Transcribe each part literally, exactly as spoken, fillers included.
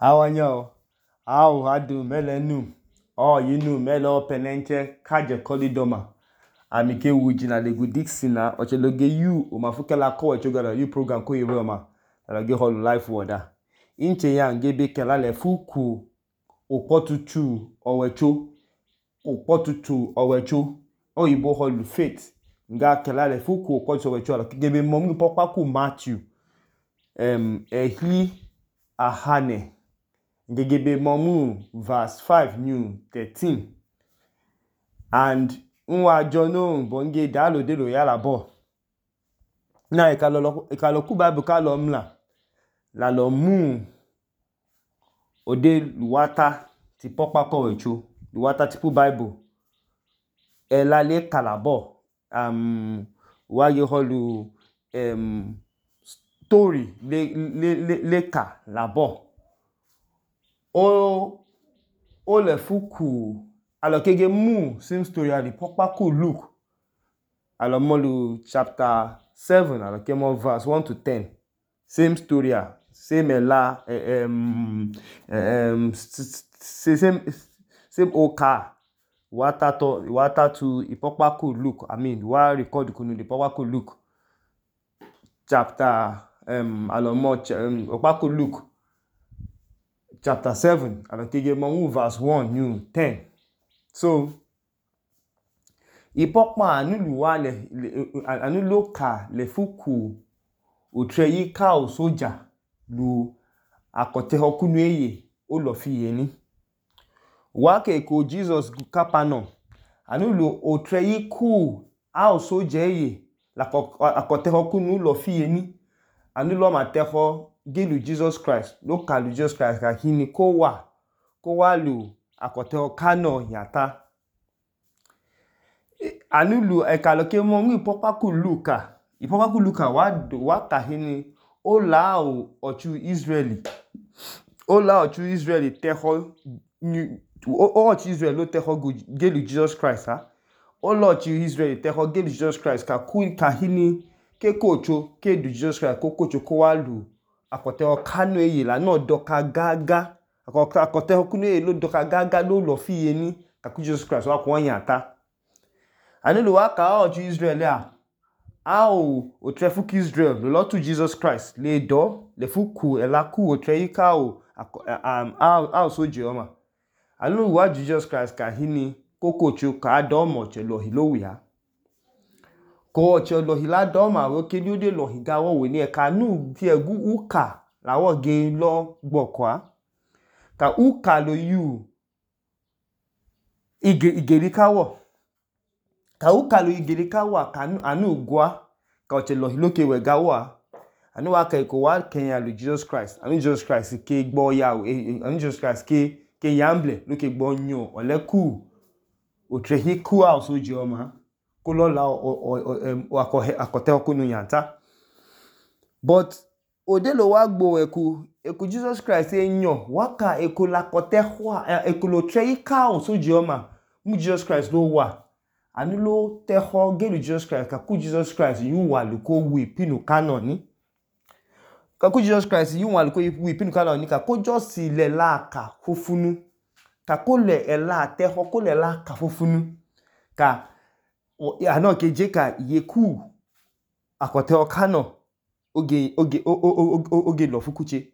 Awanya au hadu melenu o yinu melo penenche kaje kolidoma amike wujina legu Dixina ocheloge yu omafukela ko echogala yu program ko yewema alage holu life woda inche ya ngebe kela le fuku opotutu owecho opotutu owecho oyibo holu faith nga kela le fuku opotutu owecho alagebe momu popaku Matthew em ehi ahane ngegebe momu verse five new thirteen and nwa jono bonge dalo delo yala bo na ikalo ikalo ku bible kalo mla la lo mu ode luwata ti popa ko wecho luwata ti pu bible ela le kalabo um waye holu um story le le le le ka labo o o le fuku alokege mu same story ali popa ku Luke alomolu chapter seven alokemo verse one to ten same story same ela um um same same oka wata to wata to ipopa ku Luke I mean wa record kunu the popa ku Luke chapter um alomo um opa ku Luke chapter seven alokege mo verse one new ten so ipopa anulu wa le anulo ka le fuku otreyi ka o soja lu akote hokunu eye o lo fi yeni wa ke ko Jesus kapano anulo otreyi ku a o soja eye la akote hokunu lo fi yeni anulo ma teho gilu Jesus Christ lo kalu Jesus Christ ka hini ko wa ko wa lu akote hokano yata anulu ekaloke mo ngi popa ku Luka ipopa ku Luka wa wa ka hini o la o ochu Israeli o la ochu Israeli teho o ochu Israel lo teho gilu Jesus Christ ha o lo ochu Israeli teho gilu Jesus Christ ka ku ka hini ke kocho ke du Jesus Christ ko kocho ko wa lu akote hokano eye la no doka gaga akote hokunu eye lo doka gaga lo lo fi yeni ka ku Jesus Christ wa ko yata anulu wa ka ochu Israel a ao o trefuku Israel lo lo tu Jesus Christ le do le fuku ela ku o treika o um ao soje oma anulu wa Jesus Christ ka hini kokocho ka do mo che lo hilowiya ko che lo hila do ma wo ke ni o de lo higa wo we ni e ka nu ti egu uka la wo ge lo gbokwa ka uka lo yu ige igerika wo ka uka lo igerika wa ka anu gwa ka o che lo hiloke we ga wa anu wa ka ko wa kenya lu Jesus Christ anu Jesus Christ ke gbo ya anu Jesus Christ ke ke yamble lo ke gbo nyo ole ku o trehi ku a so je oma ko lo la o akote okunu yanta but ode lo wa gbo eku eku Jesus Christ enyo wa ka eku la kote hwa eku lo trehi ka o so je oma mu Jesus Christ lo wa anu lo teho gelu Jesus Christ ka ku Jesus Christ yu wa lu ko wi pinu canon ni ka ku Jesus Christ yu wa lu ko wi pinu canon ni ka ko just le la ka fufunu ka ko le ela teho ko le la ka fufunu ka ano ke je ka yeku akote okano oge oge oge lo fukuche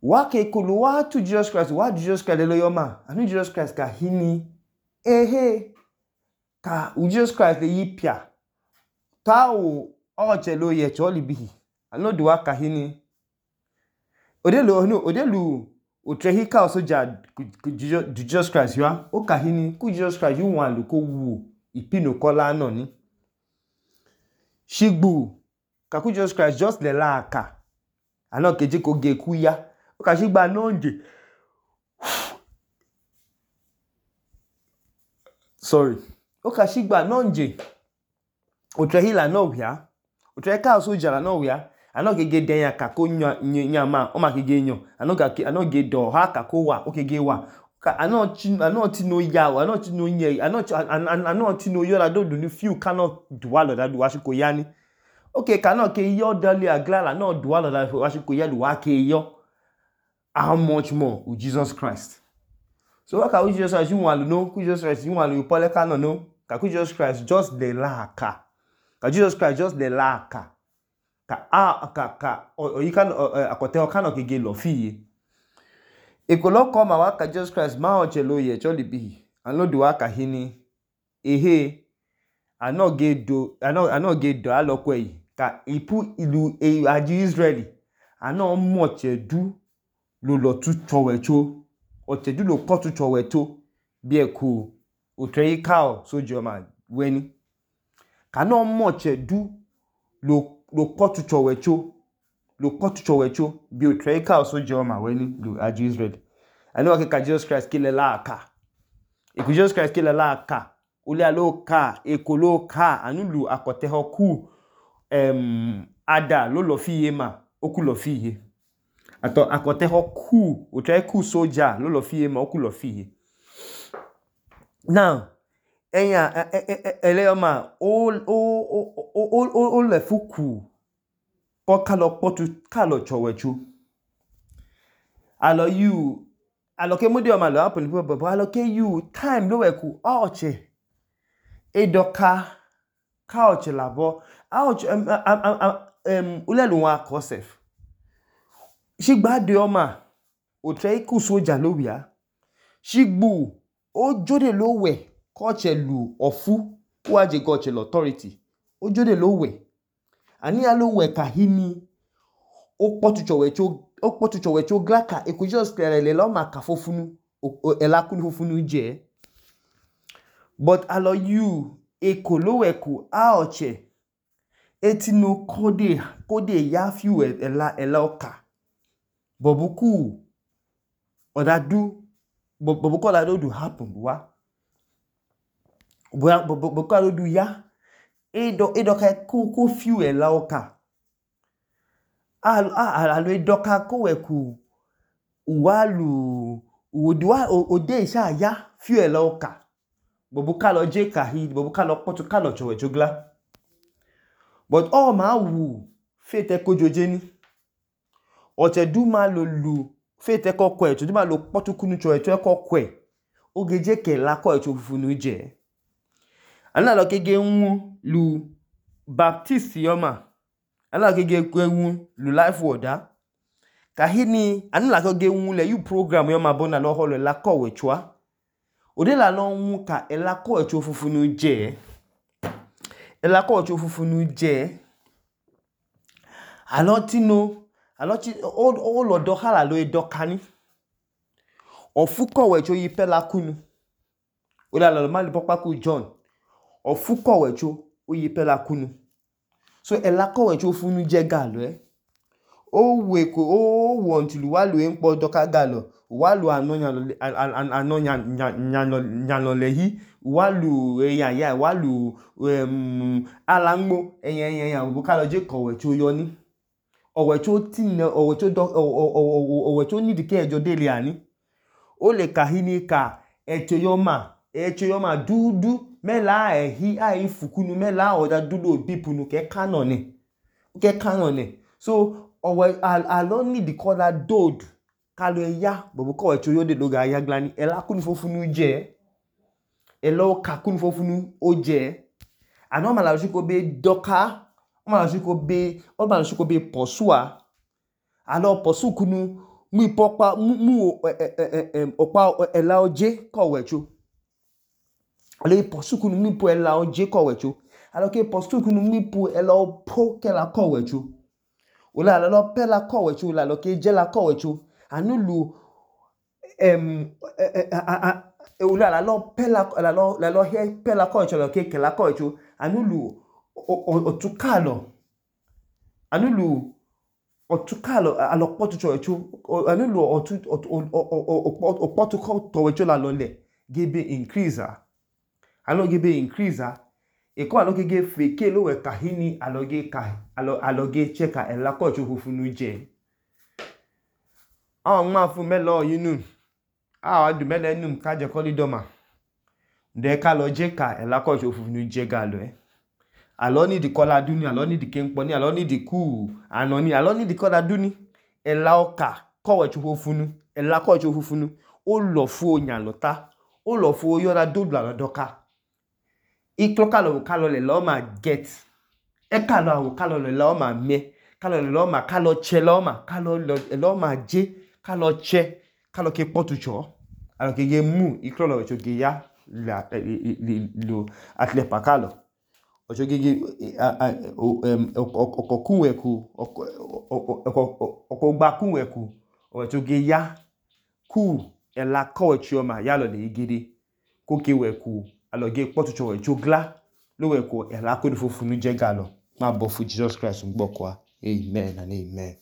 wa ke kulu wa tu Jesus Christ wa Jesus Christ lo yoma anu Jesus Christ ka hini ehe ka Jesus Christ le yipia ta o oche lo ye choli bihi anu duwa ka hini odelu no odelu o trehi ka o soja Jesus Christ yo o ka hini ku Jesus Christ yu wan lu ko wu ipinu kola no ni shigbu ka ku Jesus Christ just le la aka anu keje ko ge ku ya o ka shigba nonje sorry o ka shigba nonje o trehi la no wia o trehi ka o soja la no wia anu kege den ya ka ko nya ma o ma kege nyo anu ga anu ge do ha ka ko wa o kege wa anu ti anu ti no ya anu ti no nye anu anu ti no yo la do ni few cannot duwa lo da duwa shi ko ya ni okay cannot ke yo dali agla la no duwa lo da wa shi ko ya lu wa ke yo how much more with Jesus Christ? So waka with Jesus Christ you want to know, with Jesus Christ you want to pole ka no no, ka with Jesus Christ just the la ka. Ka Jesus Christ just the la ka. Ka a ka ka o you can akote o kan o kege lo fi. E ko lo come wa ka Jesus Christ ma o che lo ye cho libi. An lo do wa ka hini ehe ano ge do ano ano ge do a lo ko yi ka ipu ilu e aji Israeli ano mo che du lo lo tu chowe cho o che du lo ko tu chowe to bi e ku o tre ka o so jo ma weni ka no mo che du lo lo ko tu chowe cho lo ko tu chowe cho bi o tre ka o so jo ma weni lo aji Israeli ano ke ka Jesus Christ ki le la ka e ku Jesus Christ ki le la ka Ule alo ka, ekolo ka, anulu akote hoku um, ada lo lo fiye ma, oku lo fiye. Ato akote hoku, utre ku soja lo lo fiye ma, oku lo fiye. Now, enya ele ma o o o o o o le fuku po kalo potu kalo chowechu. Alo you alo ke modi o ma lo happen bo alo ke you time lo we ku oche. Edoka ka oche labo ouch um um ulelu wa kosef shigba de oma o tre ku soja lo wia shigbu o jode lo we ko che lu ofu wa je go che authority o jode lo we ani ya lo we ka hini o potu chowe cho o potu chowe cho glaka e ku just le lo ma ka fofunu ela kunu fofunu je. But allow you ekoloweku aoche etino kode kode ya fiu ela ela oka bobuku odadu bobuku odadu do happen wa bobuku odadu ya edo edo ka ko ko fiu ela oka al alo edoka ko weku walu wodiwa ode sha ya fiu ela oka bobuka lo je kahi bobuka lo potu kalo chowe jogla but all ma wu fete ko joje ni o te du ma lo lu fete ko ko e tu ma lo potu kunu chowe to ko ko e ogeje ke la ko e to fufunu je ana lo kege nwu lu baptist yoma ana kege ko nwu lu life woda kahini ana la kege nwu le you program yoma bona lo holo la ko we chwa Ode la lo nwu ka elako echo fufunu je. Elako echo fufunu je. Alotino, aloti o o lo do hala lo edokani. Ofuko wecho yipe la kunu. Ode la lo mali pokpa ku John. Ofuko wecho o yipe la kunu. So elako wecho fufunu je galo eh. O we ko o want lu wa lu enpo doka galo. Walu anonya anonya nyano lehi walu eya ya walu um alangbo eyan eyan eyan bo ka lo je kowe cho yo ni owe cho tin owe cho do owe cho need ke ejo dele ani o le kahini ka echo yo ma echo yo ma dudu mela ehi ai fukunu mela oda dudu bipunu ke kanone ke kanone so owe alo need kola dod Kalo ya bobo ko echo yo de loga ya glani ela kunu fofunu je elo ka kunu fofunu oje ano ma la jiko be doka o ma la jiko be o ma la jiko be posua alo posu kunu mu popa mu opa ela oje ko wecho alo posu kunu mu po ela oje ko wecho alo ke posu kunu mu po ela po ke la ko wecho ola alo pela ko wecho la lo ke je la ko wecho anulu em ula la lo pela la lo la lo he pela ko cho ke ke la ko cho anulu otukalo anulu otukalo alo potu cho cho anulu otu opotu ko to cho la lo le gebe increase alo gebe increase e ko alo gege feke lo we kahini alo ge kai alo alo ge cheka e la ko cho fufunu je Awon ma fun melo yinu a du mele num ka je ko lidoma de ka lo je ka e la ko so fufunu je ga lo e alo ni di kola duni alo ni di kenpo ni alo ni di ku anoni alo ni di kola duni e la oka kọwọicho fofunu ẹla kọwọicho fofunu ó lọfu onyalọta ó lọfu oyọda dodu lalọ dọka iklọ kalọ kalọ lẹla ọma get ẹkalọ awọ kalọ lẹla ọma mẹ kalọ lẹla ọma kalọ chẹla ọma kalọ lẹla ọma je kalọ chẹ kalọ ke kpọtu chọ alọ ke ge mu iklọ lọwọicho ge ya lo atlẹpa kalọ ọwọicho gege ọkọ kunwẹkwu ọkọ kunwẹkwu ọwọicho ge ya ku ẹla kọwọicho ọma yalọ lẹyẹgẹde koke wẹkwu alọ ge kpọtuchọ ọwọicho gla lowẹkwu ẹla konu fofunu je galọ nmabọfu Jesus Christ ngbọkọ a. Amen and amen.